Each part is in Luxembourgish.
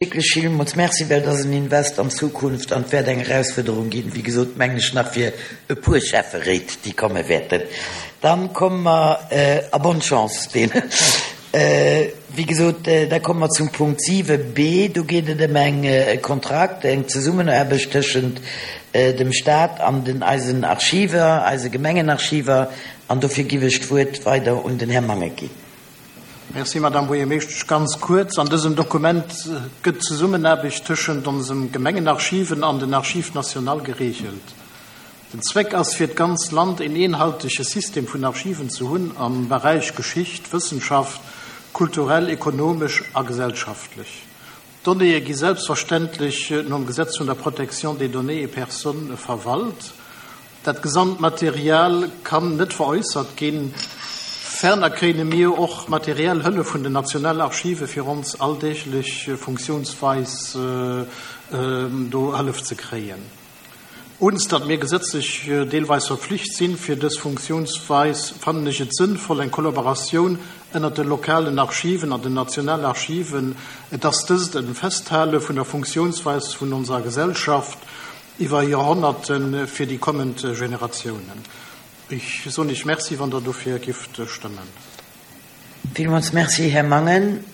Wierklech villmools Merci, well et ass en Invest an d'Zukunft an et wäert eng Erausfuerderung ginn, wéi gesot, mengen ech, nach fir e puer Schäfferéit, déi komme wäerten. Dann komme mer, a bonne chance deenen, wéi gesot, da komme mer zum Punkt 7 b. Do geet et ëm eng e Kontrakt, eng Zesummenaarbecht tëschent dem Stat an den eisen Archiver, eise Gemengenarchiver. An dofir giff ech d'Wuert weider un den Här Mangen ginn. Merci, Madame Buergermeeschtesch. Ganz kuerz, An dësem Dokument gëtt d'Zesummenaarbecht tëschent onsem Gemengenarchiven an den Archives nationales geregelt. Den Zweck ass, fir d'ganz Land een eenhaltege System vun Archiven ze hunn am Beräich Geschicht, Wëssenschaft, kulturell, ekonomesch a gesellschaftlech. D'Donnéeë gi selbstverständlech nom Gesetz vun der Protection des données et personnes verwalt. Dat gesamt Material kann net veräussert ginn. Ferner kréine mir och materiell Hëllef vun den Nationalarchive fir ons alldeeglech Funktiounsweis do Hëllef ze kréien. Uns, datt mir gesetzlech deelweis verpflicht sinn fir dës Funktiounsweis, fannen ech et sënnvoll eng Kollaboratioun ënnert de lokalen Archiven an den Nationalarchiven. Et ass dëst e Festhale vun der Funktiounsweis vun onser Gesellschaft iwwer Joerhonnerte fir déi kommend Generatiounen. Ech soen Iech Merci, wann Der dofir gifft stëmmen. Villmools Merci, Här Mangen.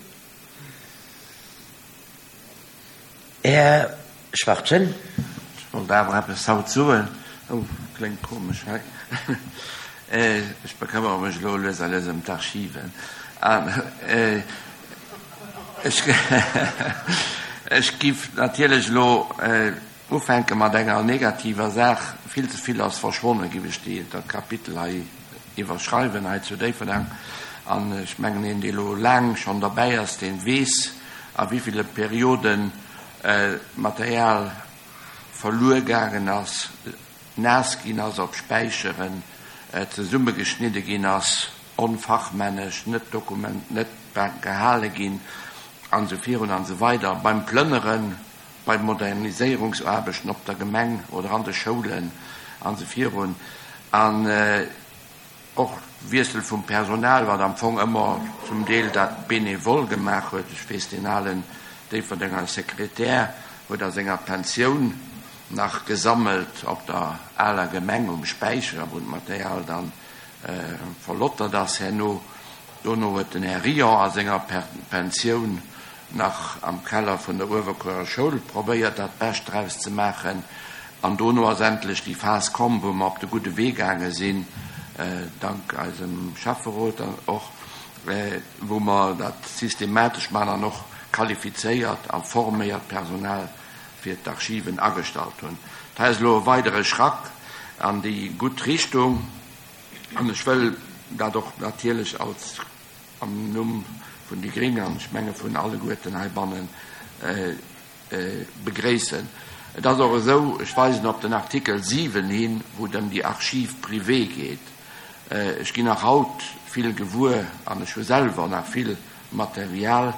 Här Schwachtgen. Ech wollt awer eppes haut soen. Oh, kléngt komesch hei. Ech bekëmmere mech elo lues a lues ëm d'Archiven. An ech, ech giff natierlech elo ufänke mat enger negativer Saach. Vill ze vill ass verschwonnen, giff ech déi, dat Kapitel hei iwwerschreiwen hei zu Déifferdeng. An ech mengen, een, dee elo laang schonn derbäi ass, dee weess, a wéi ville Perioden Material verluer gaangen ass, naass ginn ass op Späicheren, zesummegeschnidde ginn ass, onfachmännesch, net dokument, net gehale ginn, an esou virun an esou weider. Beim Plënneren, bei Moderniséierungsaarbechten op der Gemeng oder an de Schoulen an esou virun. An och Wiessel vum Personal, wat am Fong ëmmer zum Deel dat bénévol gemaach huet. Ech weess, deen alen Déifferdenger Sekretär huet a senger Pensioun nach gesammelt op der aler Gemeng um Späicher, wou d'Material dann verlottert ass herno. Dono huet den Här Rion a senger Pensioun nach am Keller vun der Uewerkuerer Schoul probéiert, dat Bescht draus ze maachen. An dono ass endlech déi Phas komm, wou mer op de gudde Wee gaange sinn, dank eisem Schäfferot och, wou mer dat systematesch maachen an och qualifizéiert a forméiert Personal fir d'Archiven agestallt hunn. Dat ass elo e weidere Schrack an déi gutt Richtung. An ech wëll dat och natierlech als am Numm vun déi gréng an ech menge vun alleguerten heibannen begréissen. Et ass och esou, ech weisen op den Artikel 7 hin, wou et ëm déi Archives privées geet. Ech ginn nach haut vill gewuer an ech hu selwer nach vill Material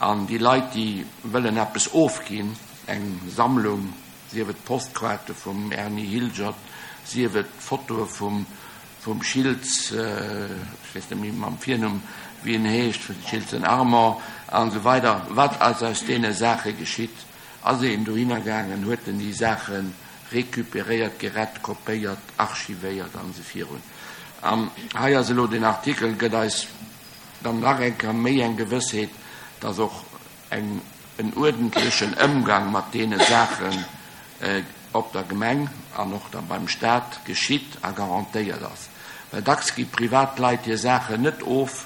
an déi Leit, déi wëllen eppes ofginn, eng Sammlung, sief et d'Postkaarte vum Erny Hilgert, sief et d'Fotoe vum vum Schiltz, ech weess net méi mam Virnumm wéi en heescht, vum Schiltzen Armand an esou weider. Wat ass aus deene Saache geschitt? Ass een dohinner gaangen, huet en déi Saache récupéréiert, gerett, kopéiert, archivéiert an esou virun? An hei ass elo deen Artikel, gëtt eis dann nach eng Kéier méi eng Gewëssheet, dass och eng en uerdentlechen Ëmgang mat deene Saachen op der Gemeng an och da beim Stat geschitt a garantéiert ass. Well dacks gi privat Leit hir Saachen net of,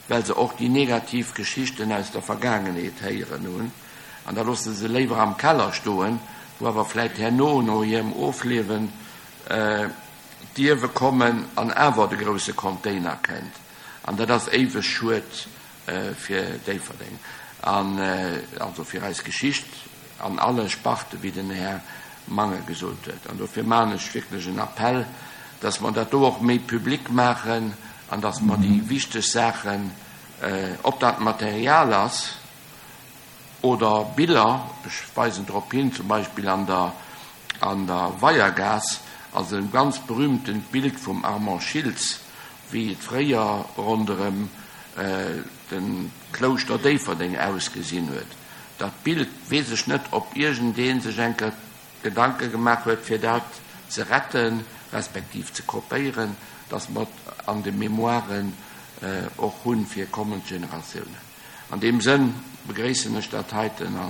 well se och déi negativ Geschichten aus der Vergaangenheet héieren hunn an da loosse se léiwer am Keller stoen, wou awer vläit herno no hirem Ofliewen d'Ierwe kommen an awer de grousse Container kënnt. An dat ass éiweg schued fir Déifferdeng an also fir eis Geschicht an alle Sparte, wéi den Här Mangen gesot huet. An dofir maachen ech wierklech en Appell, dass mer dat do och méi public maachen an dass mer déi wichteg Saachen, ob dat Material ass oder Biller, ech weisen drop hin, zum Beispill an der an der Weiergaass ass e ganz berühmtent Bild vum Armand Schiltz, wéi et fréier ronderëm de Klouschter Déifferdeng ausgesinn huet. Dat Bild, weess ech net, ob iergendee sech eng Kéier Gedanke gemaach huet, fir dat ze retten, respektiv ze kopéieren, dass mer et an de Mémoiren och hunn fir kommend Generatiounen. An deem Sënn begréissen ech dat heiten a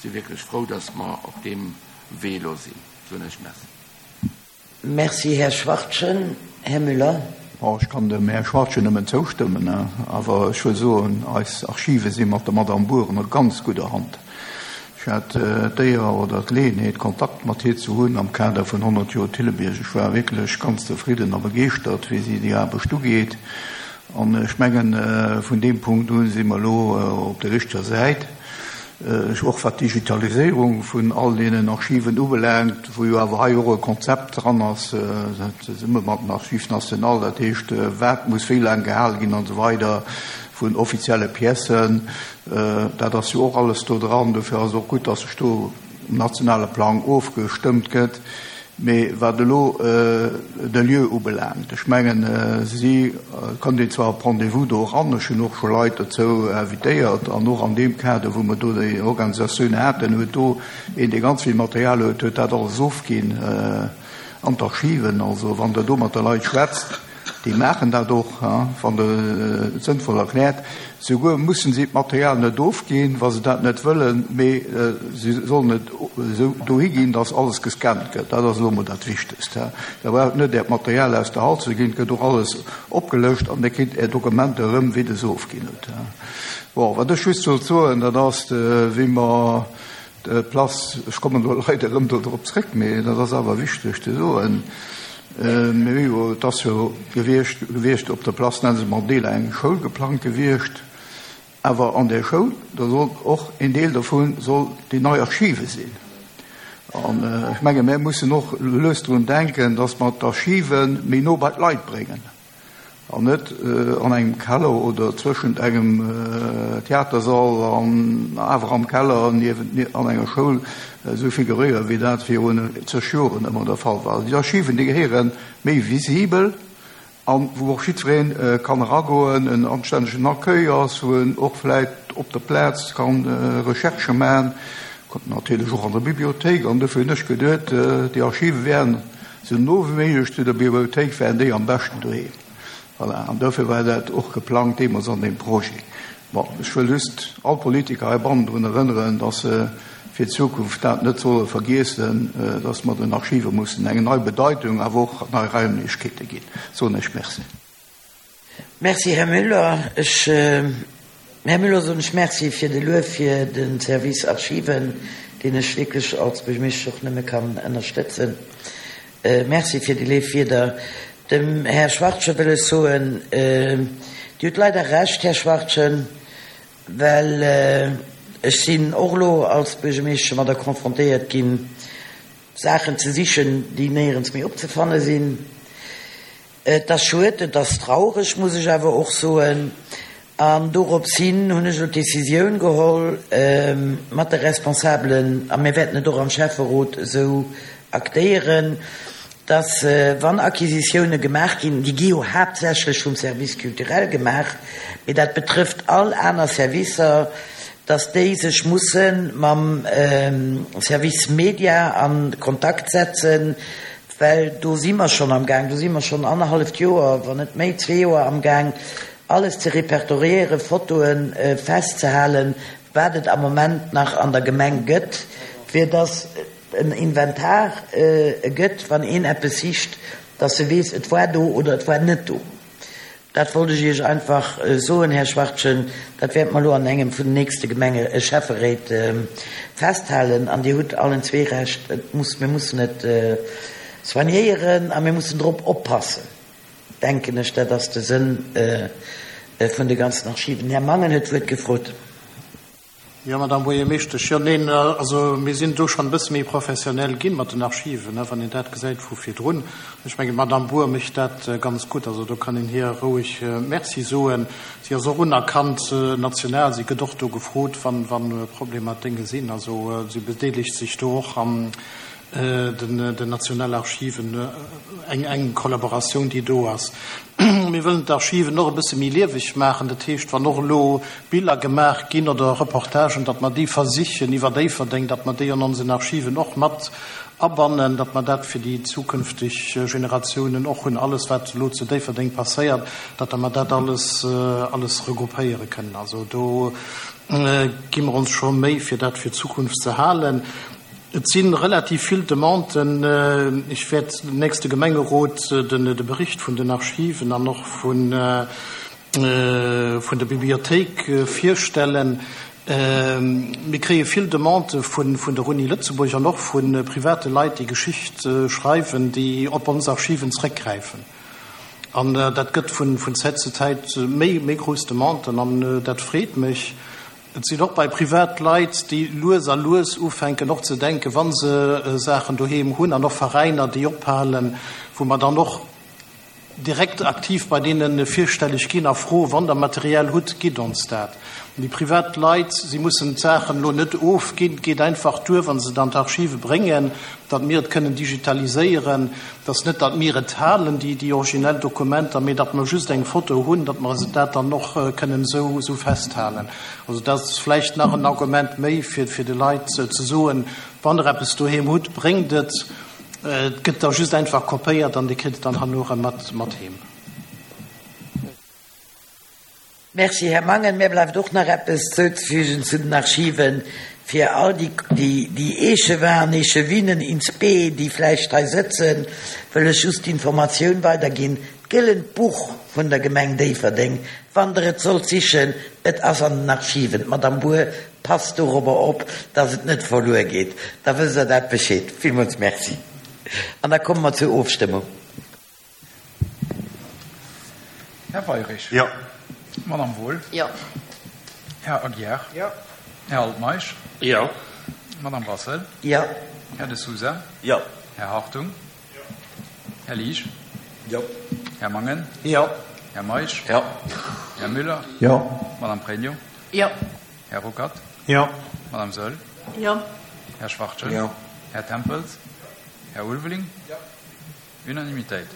si wierklech frou, dass mer op deem Wee elo sinn. Soen ech Merci. Merci, Här Schwachtgen. Här Müller. Bon, ech kann dem Här Schwachtgen nëmmen zoustëmmen. Awer ech wëll soen, eis Archive si mat der Madame Bour an a ganz gudder Hand. Ech hat d'Éier oder d'Geleeënheet, Kontakt mat hir ze hunn am Kader vun 100 Joer Thillebiërg. Ech war wierklech ganz zefridden a begeeschtert, wéi si déi Aarbecht ugeet. An ech mengen, vun deem Punkt u si mer elo op der richteger Säit. Och wat d'Digitaliséierung vun all deenen Archiven ubelaangt, wou jo awer hei och e Konzept dran ass, zesumme mat dem Archiv national, dat heescht, wat muss wéi laang gehale ginn an esou weider vun offizielle Piècen, dat ass jo och alles do dran. Dofir ass et och gutt, dass sech do um nationale Plang ofgestëmmt gëtt. Mee wat elo de Lieu ubelaangt, ech mengen, si kënnt een zwar op Rendez-vous do eran, ech hunn och scho Leit dozou invitéiert, an och an deem Kader, wou mer do déi Organisatioun haten, huet do een, dee ganz vill Material huet, huet dat alles ofginn an d'Archiven. Also wann Der do mat de Leit schwätzt, Déi maachen dat och, wann Der et sënnvoll erkläert. Souguer mussen si d'Material net ofginn, wa se dat net wëllen, mee si sollen et esou dohi ginn, dass alles gescannt gëtt. Dat ass elo emol dat Wichtegst. Der braucht net Äert Material aus der Hand ze ginn, et gëtt och alles opgelëscht an Dir kritt Är Dokumenter erëm, wéi Der se ofginn hutt. Bon, wat ech just wollt soen, dat ass, wéi mer D'Place, ech kommen elo leider erëm do drop zréck, mee dat ass awer wichteg ze soen, mir hu jo, et ass jo gewiescht, gewiescht op der Place Nelson Mandela eng Schoul geplangt gewiescht, awer an där Schoul, do soll och een Deel dovu soll déi nei Archive sinn. An ech menge mir mussen och lues drun denken, datt mer d'Archive méi no bei d'Leit bréngen. An net an engem Keller oder zwëschent engem Theatersall an awer am Keller niewent an enger Schoul esou figuréieren, wéi dat virun zeg Joren ëmmer der Fall war. Also déi Archiven, déi gehéiere méi visibel an wou och jiddweree kann eragoen, en anstännegen Accueil ass, wou en och vläicht op der Plaz ka Recherchë maachen, natierlech och an der Bibliothéik. An dofir hunn ech geduet, déi Archive wären Sou no wéi méiglech zu der Bibliothéik wären déi am beschten doheem. Voilà, an dofir war dat och geplangt deemools an deem Projet. Bon, ech wëll just all Politiker heibannen drun erënneren, dass se fir d'Zukunft dat net solle vergiessen, dass mer den Archive mussen eng nei Bedeitung, awer och nei Raimlechkeete ginn. Soen ech Merci. Merci, Här Müller. Ech, Här Müller, soen ech Merci fir de Luef fir de Service Archiven, deen ech wierklech als Buergermeeschtesch och nëmme kann ënnerstëtzen. Merci fir déi léif Wierder. Dem Här Schwachtgen wëll ech soen, Dir hutt leider Recht, Här Schwachtgen, well ech sinn och elo als Buergermeeschtesch domadder confrontéiert ginn, Saachen ze sichen, déi néierens méi opzefanne sinn. Et ass schued, et ass traureg, muss ech awer och soen. An dorops hin hunn ech elo d'Decisioun geholl mat de Responsabelen, a mir wäerten et och am Schäfferot esou aktéieren, dass, wann Acquisitioune gemaach ginn, déi gi jo haaptsächlech vum Service culturel gemaach, mee dat betrëfft all aner Servicer, dass déi sech musse mam Service Media a Kontakt setzen, Well do si mer schonn amgaang, do si mer schonn annerhalleft Joer, wann net méi, zwee Joer amgaang, alles ze repertoriéieren, Fotoe festzehalen, wat et am Moment nach an der Gemeng gëtt, fir dass en Inventar gëtt, wann een eppes sicht, dass e weess, et war do oder et war net do. Dat wollt ech Iech einfach soen, Här Schwachtgen. Dat wäerte mer elo an engem vun den nächste Gemenge Schäfferéit festhalen. An Dir hutt allen zwee Recht, et muss, mir mussen et soignéieren a mir mussen drop oppassen, denken ech. Dat ass de Sënn vun de ganzen Archiven. Här Mangen huet d'Wuert gefrot. Jo, Madame Buergermeeschtesch, jo, neen, also mir sinn do schonn e bësse méi professionell ginn mat den Archiven, wann een dat gesäit vu virdrun. Ech mengen, d'Madame Bour mécht dat ganz gutt, also do kann een hir roueg Merci soen. Si ass och unerkannt national, si gëtt och do gefrot, wann, wann Problemer Dénge sinn. Also si bedeelegt sech do och am. Den Nationalarchiven, eng enk Kollaboratioun, déi do ass. Mir wëllen d'Archiven och e bësse méi lieweg maachen. Dat heescht, wann och elo Biller gemaach ginn oder Reportagen, datt mer déi versichen iwwer Déifferdeng, datt mer déi an onsen Archiven och mat abannen, datt mer dat fir déi zukünfteg Generatiounen och hunn, alles wat elo zu Déifferdeng passéiert, datt mer dat alles alles regroupéiere kënnen. Also do gi mer ons scho Méi, fir dat fir d'Zukunft ze halen. Et si relativ vill Demanden. Ech wäert dem nächste Gemengerot de Bericht vun den Archiven an och vun der Bibliothéik virstellen. Mir kréie vill Demandë vun der Uni Lëtzebuerg an och vu private Leit, déi Geschicht schreiwen, déi op ons Archiven zréckgräifen. An dat gëtt vun Zäit zu Zäit méi grouss Demanden an dat freet mech. Et sinn och bei Privatleit, déi lues a lues ufänken och ze denken, wa se Saachen doheem hunn, an och Veräiner, déi ophalen, wou mer dann och direkt aktiv bei deene virstelleg ginn a froen, Wann Der Material hutt, gitt ons dat. An déi privat Leit, si mussen d'Saachen elo net ofginn, et geet einfach duer, wa se et an d'Archive bréngen, datt mir et kënnen digitaliséieren. Et ass net, datt mir et halen, déi originell Dokumenter, mee datt mer just eng Foto hunn, datt mer dat dann och kënnen esou festhalen. Also dat ass vläicht nach en Argument méi, fir de Leit ze soen, Wann Der eppes doheem hutt, bréngt et. Et gëtt da just einfach kopéiert an Dir kritt et dann herno erëm mat heem. Merci, Här Mangen. Mär bleift och nach eppes zouzefügen zu den Archiven, fir all déi, déi Échevins an Échevinen in spe, déi vläicht hei sëtzen, wëll ech just d'Informatioun weiderginn, D'gëllent Buch vun der Gemeng Déifferdeng, wann Der et sollt sichen, et ass an den Archiven. D'Madame Bour passt dorobber op, dass et net verluer geet. Da wësst Der dat Bescheed. Villmools Merci. An da komme mer zur Ofstëmmung. Här Weirich. Jo. Madame Wohl. Jo. Här Aguiar. Jo. Här Altmeisch. Jo. Madame Brassel. Jo. Här De Sousa. Jo. Här Hartung. Jo. Här Liesch. Jo. Här Mangen. Jo. Här Meisch. Jo. Här Müller. Jo. Madame Pregno. Jo. Här Ruckert. Jo. Madame Saeul. Jo. Här Schwachtgen. Jo. Här Tempels. Här Ulveling. Jo. Unanimitéit.